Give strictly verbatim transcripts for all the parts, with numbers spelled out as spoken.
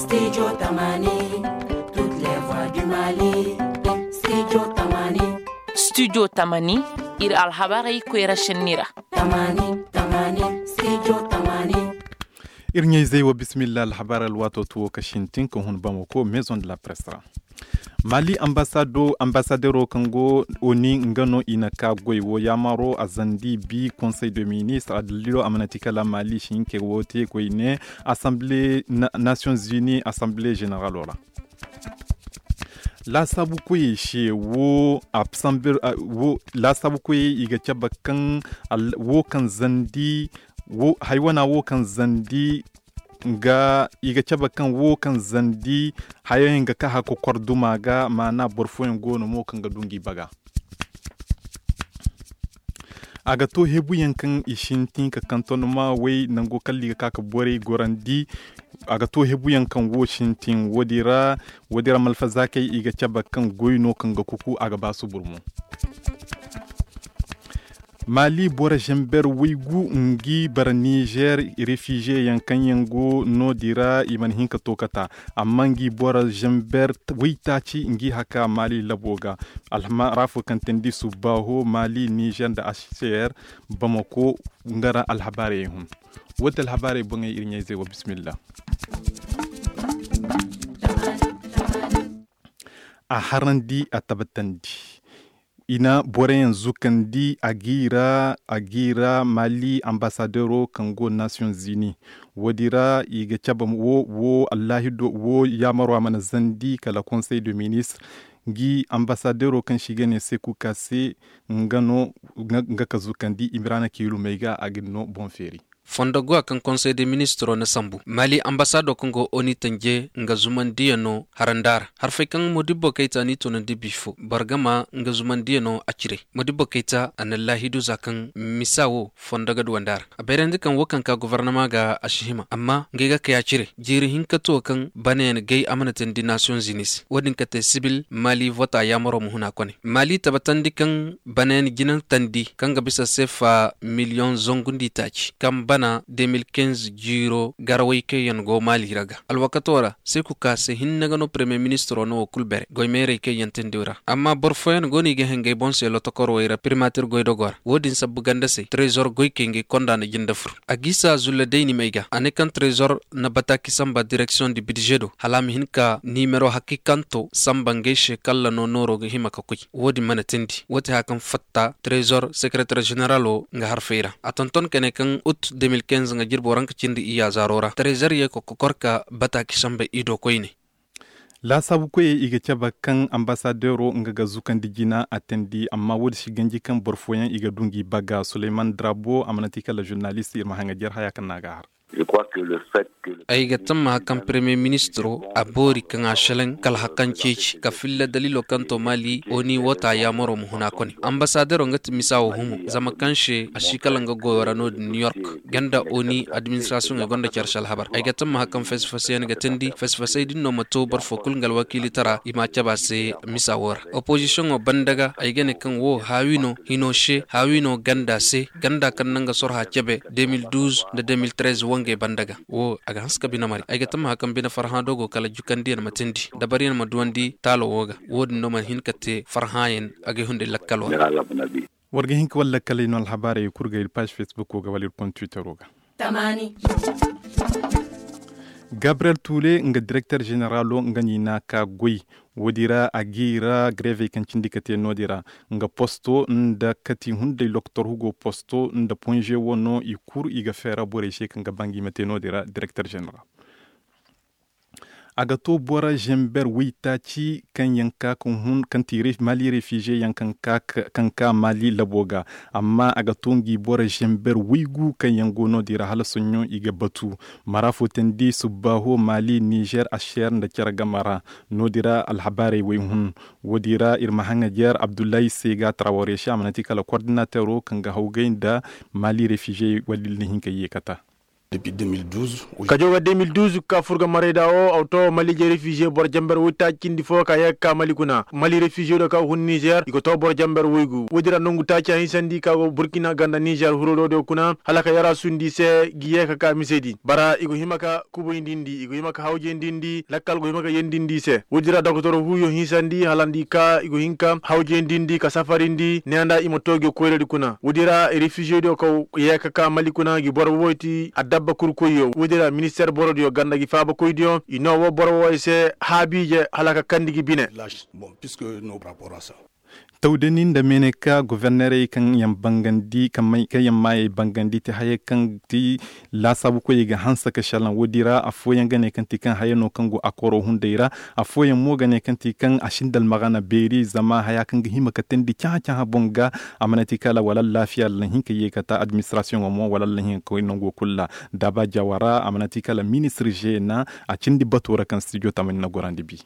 Studio Tamani, toutes les voix du Mali. Studio Tamani. Studio Tamani, iri alhabarey koyra senni ra. Tamani, Tamani, Studio Tamani. Iri ɲayzey wo, bismillah, alhabar alwaato tuwo ka sintin ka hun Bamako, Maison de la Presse ra. Mali ambasado ambasadero kaŋ go oni nga no i na ka goy wo yaamaro a zandi bi conseil de ministre a daliilo a mana ti kala mali si hinka wo te koyne assemblée nations unies assemblée généralo ra. Laasaabu koyey se wo a sambe wo laasaabu koyey i ga cabe kaŋ wo kaŋ zandi wo haywana wo kaŋ zandi nga i ga cabe kaŋ wo kaŋ zandi hayo yaŋ ga ka haka korduma ga maana boro fooyaŋ go no mo kaŋ ga du ngi baga. A ga to hebuyaŋ kaŋ i sintin ka kanton ma way nango kalli ga ka ka borey gorandi. A ga to hebuyaŋ kaŋ wo sintin wo- din ra malfazakey i ga cabe kaŋ goy no kaŋ ga kuku a ga ba subur mo. Mali boro zamber waygu ngi bara nizer refize yaŋ kaŋ yaŋ go no- din ra i mana hin ka to kata. Amma ngi boro zamber waytaaci ngi haka mali labo ga alhama rafo kaŋ tandi subbaho mali nizer nda aser bamako. Nga ra alhabaarey hun wo- din alhabaarey boŋey iri ɲayzey wo bismillah. A harandi a tabbatandi i na boroyaŋ zukandi a gi ra mali ambasadero kaŋ go nations unis. Wo- din ra i ga cabe wo allahido wo yaamaro a mana zandi kala conseil de ministre. Ngi ambasadero kaŋ se i ga ne seku ka se nga no nga ka zukandi imiraana kiilumey ga a ga ni no boŋ feeri. Fondo go a kaŋ conseil de ministro na sambu mali ambasado kaŋ go oni tanje nga zumandiyaŋ no haranda ra harfey kaŋ modibbo kayta ni tunandi bifo bargama nga zumandiyaŋ no a cire. Modibbo kayta a na laahidu za kaŋ misa wo fondo ga duwandi a ra a bayrandi kaŋ wo kaŋ ka gobornama ga a si hima amma ngey ga kay a cire jiiri hinka to kaŋ banayaŋ gay a mana tandi nations unis wo- din ka te sibil mali vota yaamaro ma huna kone mali tabbatandi kaŋ banayaŋ jinantandi kaŋ ga bisa seefa miliyoŋ zangu nda itaaci kaŋ bana de mil kinze jiiro garawey kaŋ yaŋ go mali ra ga alwakato ra seeku ka se hinne ga no paremiye ministiro no wo kulu bere goy meerey kaŋ yaŋ tindi ra amma boro fooyaŋ go no i ga hengey boŋ se lotokorowey ra primatir goydogo ra wo- din sabbu ganda se trezor goykey ngey konda na jinde fur a gisa zulla day ni may ga a ne kaŋ trezor na bataaki samba direksiyoŋ di bidze do hala a ma hin ka nimero hakiikanto samba ngey se kalla no nooro ga hima ka koy. Wo- din mana tindi wo- te haya kaŋ fatta trezor sekereter zeneralo nga harfey ra a tonton ka ne kaŋ ut de mil kinze nga jirbo ranka cindi iyya zaaro ra trezor ye ka kokor ka bataaki samba i do koyne. Laasaabu koyey i ga cabe kaŋ ambasadero nga ga zukandi jina a teendi amma wo- din si ganji kaŋ boro fooyaŋ i ga du ngi bagga suleyman drabo a mana ti kala zurnalist iri ma haŋajer haya kaŋ no a ga a har. Ay ga tammaha kaŋ paremiye ministiro a boori kaŋ a selaŋ kala hari kaŋ ceeci ka filla daliilo kaŋ to maali oni woota yaamaro ma huna kone ambasadero nga ti misa wo humo zama kaŋ se a si kala nga goyo ra no- din new york ganda oni administrasiyoŋey gonda care se alhabar ay ga tammaha kaŋ fasi-fasiyaŋ ga teendi fasi-fasay din no ma to boro fo kulu nga alwakiilitara i ma a cabe a se misa wo ra. Opozisiyoŋo banda ga ay ga ne kaŋ wo haawi no hino se haawi no ganda se ganda kaŋ na nga sorha cabe de mil duuz nda de mil trez wangey banda ga wo a ga hanse ka bine mari ay ga tammaha kaŋ bine farhã do go kala jukandiyaŋ ma teendi dabariyaŋ ma duwandi taalo wo ga wo- din no mana hin ka te farhãyaŋ. A ga ay hunday lakkalo ra. War ga hin ka wala lakkaley no alhabaarey kulu ga iri paazi fesbukko ga wala iri konda twittero ga. Gabriyel tuule nga direkter zeneralo nga no i n'a ka goy. Wo- din ra a g'i ra grevey kaŋ cindi ka te no- din ra nga posto nda kati hunday lokotor hugo posto nda ponze wo no i kuru i ga feera borey se kaŋ ga ba ngi ma te no- din ra direkter zeneral. A ga to boro zamber waytaaci kaŋ yaŋ ka kaŋ hun kaŋ ti mali refize yaŋ kaŋ ka mali labo ga. Amma a ga to ngi boro zamber waygu kaŋ yaŋ go no- din ra hala soɲõ i ga batu mara fo teendi subbaaho mali nizer aser nda care game ra. No- din ra alhabaarey way hun. Wo- din ra iri ma haŋajer abdullahi se ga tarawaresi a mana ti kala kordinatero kaŋ ga hawgay nda mali refize wala iri na hin ka ye kata. Ka jaw ga de mil duuz ka fur ga maray da wo auto mali je refiziye boro jamber woy taaci cindi fo ka ye ga ka mali kuna mali refiziye do ka hun nizer i ga to boro jamber woygu woy din ra nangu taaci a hinsandi ka go burkina ganda nizer huro do do kuna hala ka yara sundi se ga ye ga ka misedi bara i ga hima ka kubayndi ndi i ga hima ka hawjayndi ndi lakkal ga hima ka yandi ndi se woy din ra doktor huyo hinsandi hala ndi ka i ga hin ka hawjayndi ndi ka safari ndi ne nda i ma to ga koyradi kuna woy din ra refiziye do ka ye ga ka mali kuna ga boro woy ti adabba kurkoyyo woy din ra minister borodiyo ganda ga faabakoydiyo i no wo boro wo i se haabiije hala ka kandi ga bine. Tawdani nda meneka governerey kaŋ yaŋ maayey bangandi ti hayey kaŋ ti laasaabukoyey ga hanse ka selaŋ woodi ra afooyaŋ ga ne kaŋ ti kaŋ haya no kaŋ go a koro hunday ra. Afooyaŋ mo ga ne kaŋ ti kaŋ a sinda almagana beeri zama haya kaŋ ga hima ka teendi cahã-cahã boŋ ga a mana ti kala wala allaafiya allahinka ye ka ta administrasiyoŋo mo wala allahinka koy nango kulu ra. Daaba jawara a mana ti kala ministir zeena a cindi bato ra kaŋ stijo tamani na gorandi bi.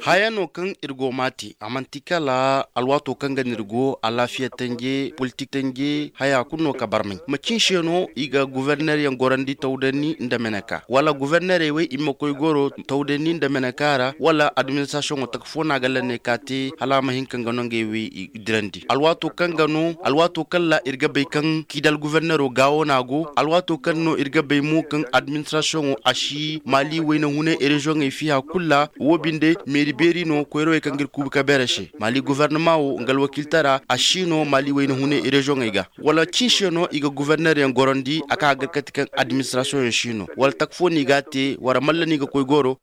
Haya no kaŋ iri go ma te a manti kala alwaato kaŋ ga no iri go alaafiya tanje politik tanje haya kulu no ka barmay macin se no i ga governer yaŋ gorandi tawdani nda meneka wala governerey wey i ma koy goro tawdani nda meneka ra wala administrasiyoŋo taka fo no a ga lanney ka te hala a ma hin ka nga no ngey wey dirandi alwaato kaŋ ga no alwaato kaŋ ra iri ga bay kaŋ kidal guvernero gaawo no a go alwaato kaŋ no iri ga bay mo kaŋ administrasiyoŋo a si maali wayna hunay reziyoŋey fiya kulu ra wo binde meeri beeri no koyrawey kaŋ ga iri kuubi ka beere se maali guvernama wo nga alwakiiltara a si no maali wayna hunay reziyoŋey ga wala cin se no i ga guverner yaŋ gorandi a kaŋ a ga gar kate kaŋ administrasiyoŋ yaŋ si no wala taka fo no i ga a te wala malla no i ga koy goro.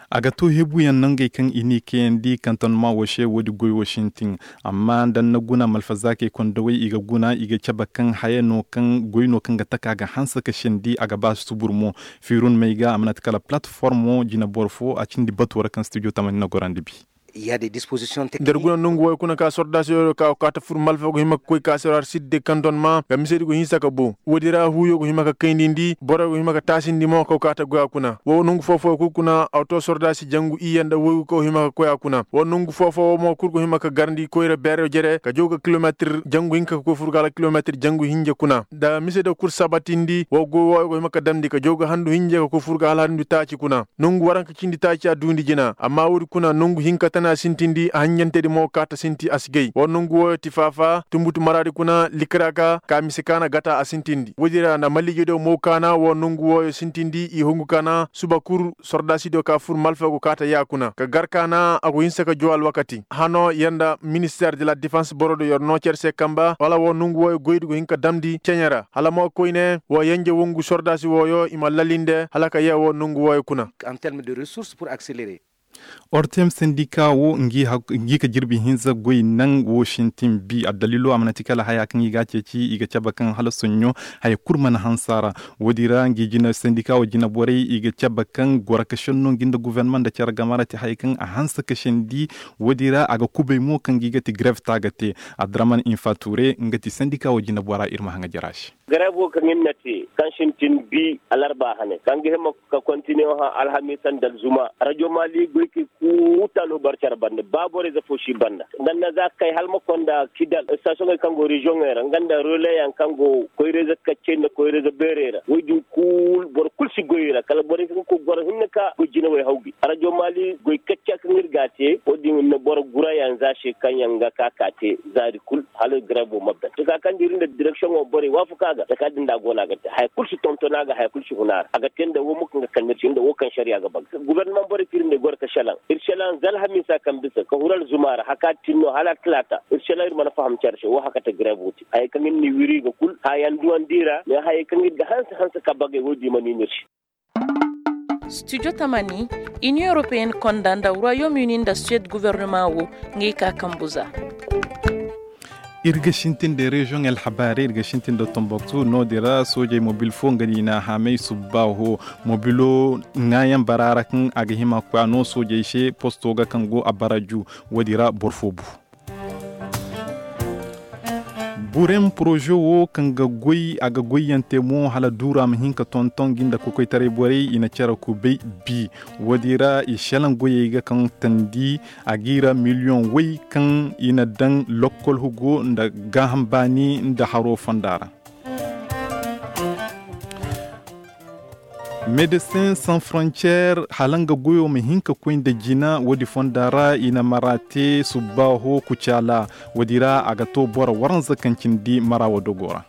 A ga to hebuyaŋ nangey kaŋ i n'i kayandi kantonma wo se woodi goy wo sintin. Amma da ni na guna malfazaakey kondowey i ga guna i ga cabe kaŋ haya no kaŋ goy no kaŋ ga taka ga hanse ka sendi a ga ba subur mo. Fiirun may ga a mana ti kala palatformo jineboro fo a cindi bato ra kaŋ stijo tamani na gorandi bi. Nda iri guna nongu wo kuna ka sordaasiyo ka kaata fur malfa go hima ga koy ka se ra sidde kantonma ga misedi go hinsa ka bo woodi ra huuyo go hima ga kayndi ndi boro go hima ga taasindi mo ka go kaata goya kuna wo nongu fo-fooyo kulu kuna auto sordaasi jangu iyye nda woygu ka go hima ga koy a kuna wo nongu fo-fooyo mo kulu go hima ga garndi koyra beero jere ka jaw ga kilometir jangu hinka ka koy fur ga hala kilometir jangu hinja kuna nda misediyo kulu sabatindi wo goy wooyo go hima ga damndi ka jaw ga handu hinja ka koy fur ga hala handu taaci kuna nongu waranka cindi taaci a duundi jina amma woodi kuna nongu hinka tana sintindi a hanjantedi mo kaata sinti a si gay wo nongu wooyo ti faafa tumbutu maraadi kuna likira ga ka mise kaana gata a sintindi woodi ra nda malliije do mo kaana wo nongu wooyo sintindi i hungu kaana suba kul sordaasi do ka fur malfa go kaata ya kuna ka gar kaana a go hinse ka jo alwakati hano yer nda minister de la defense boro do yer no care se kamba wala wo nongu wooyo goydi go hin ka damndi ceɲe ra hala mo koyne wo yenje wongu sordaasi wooyo i ma lalinde hala ka ye wo nongu wooyo kuna. Ortem sendika wo ngi ka jirbi hinza goy naŋ wo sintin bi addalilo a mana ti kala haya kaŋ i ga a ceeci i ga cabe kaŋ hala soɲɲo haya kulu mana hanse a ra. Wo- din ra ngi sendika wo jina borey i ga cabe kaŋ goro ka senno ngi nda guvernama nda care game ra ti haya kaŋ a hanse ka sendi. Wo- din ra a ga kubay mo kaŋ ngi ga ti grev ta ga te. Adraman infature nga ti sendika wo jina bora iri ma haŋa jara se. Garay boro kaŋ iri na te kaŋ sintin bi alarba hane kaŋ ga hima ka kontiniye hã alhamiisa nda alzuma rajo maali goykey kulu taalo barcara banda ba borey zafo si banda nga nda za ga kay hala ma konda kidal stationey kaŋ go reziyoŋey ra nga nda releyaŋ kaŋ go koyrayze kaccey nda koyrayze beerey ra wo- din kulu boro kulu si goy i ra kala borey kaŋ ga koy goro hinne ka goy jinawey hawgay rajo maali goy kacca kaŋ iri ga a te wo- din na boro gurayaŋ za se kaŋ yaŋ ga ka ka te zaari kulu hala garay boro ma ban taka kaŋ da iri nda direksiyoŋo borey waafaku a ga taka din da a go no a ga te haya kulu si tonton a ga haya kulu si hun a ra a ga te nda wo mo kaŋ ga kande iri se nda wo kaŋ sariya ga ban gubernaman borey kaŋ iri nda i goro ga selaŋ iri selaŋ za alhamiisa kaŋ bisa ka huru alzuma ra haka tin no hala talaata iri selaŋ iri mana faham care se wo haka te garay boro te hayey kaŋ iri n'i wiri i ga kulu haya nduwandi ra mais hayey kaŋ iri ga hanse hanse ka bagay wo- din mana i no iri se. Studio tamani, union européenne konda nda royaume uni nda suède gouvernement wo ngey ka kambu za. Iri ga sintin da reziyoŋ alhabaari iri ga sintin da tomboktu no- din ra soojey mobil fo nga no i n'a haamay subba ho mobilo ŋaayaŋ bara ra kaŋ a ga hima ka koy a no soojey se posto ga kaŋ go a bara ju. Wo- din ra boro fo bu. Burem poroze wo kaŋ ga goy a ga goyyaŋ te mo hala duura ma hin ka tonton ga nda kokoytaray borey i na care kubay bi. Wo- din ra i selaŋ goyey ga kaŋ tandi a g'i ra miliyoŋ way kaŋ i na daŋ lokkol hugo nda gaaham baani nda haro fonda ra. Médecins Sans Frontières hala nga goyo ma hin ka koy nda jina, woodi fonda ra i na mara te subbaaho kucaala. Woodi ra a ga to boro waranza kaŋ cindi mara wo dogo ra.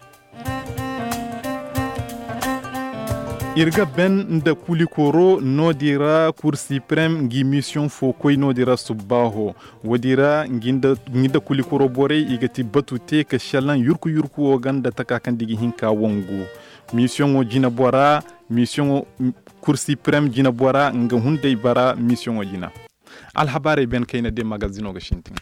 Iri ga ben nda kulikoro noodi ra, Cour Suprême ngi mission fo koy noodi ra subbaaho. Woodi ra ngi nda kulikoro borey i ga ti batu te ka selaŋ yurku yurku wo ganda taka kaŋ digi hinka wangu. Misiyoŋo jina bora misiyoŋo, Cour Suprême jina bora nga hunday bara misiyoŋo jina. Alhabaarey ben kayna de magazino ga sintin.